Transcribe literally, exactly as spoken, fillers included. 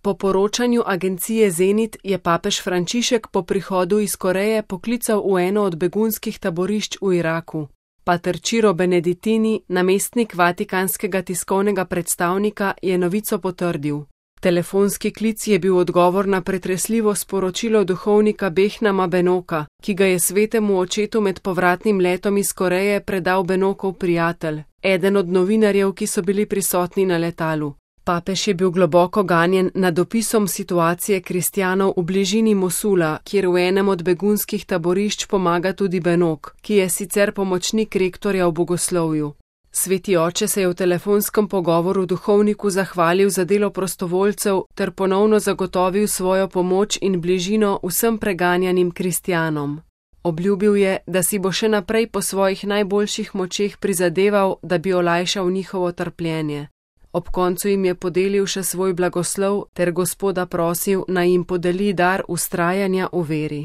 Po poročanju agencije Zenit je papež Frančišek po prihodu iz Koreje poklical v eno od begunskih taborišč v Iraku. Pater Ciro Benedettini, namestnik vatikanskega tiskovnega predstavnika, je novico potrdil. Telefonski klic je bil odgovor na pretresljivo sporočilo duhovnika Behnama Benoka, ki ga je svetemu očetu med povratnim letom iz Koreje predal Benokov prijatelj, eden od novinarjev, ki so bili prisotni na letalu. Papež je bil globoko ganjen nad opisom situacije kristjanov v bližini Mosula, kjer v enem od begunskih taborišč pomaga tudi Benok, ki je sicer pomočnik rektorja v bogoslovju. Sveti oče se je v telefonskem pogovoru duhovniku zahvalil za delo prostovoljcev ter ponovno zagotovil svojo pomoč in bližino vsem preganjanim kristjanom. Obljubil je, da si bo še naprej po svojih najboljših močeh prizadeval, da bi olajšal njihovo trpljenje. Ob koncu jim je podelil še svoj blagoslov ter Gospoda prosil, naj jim podeli dar vztrajanja v veri.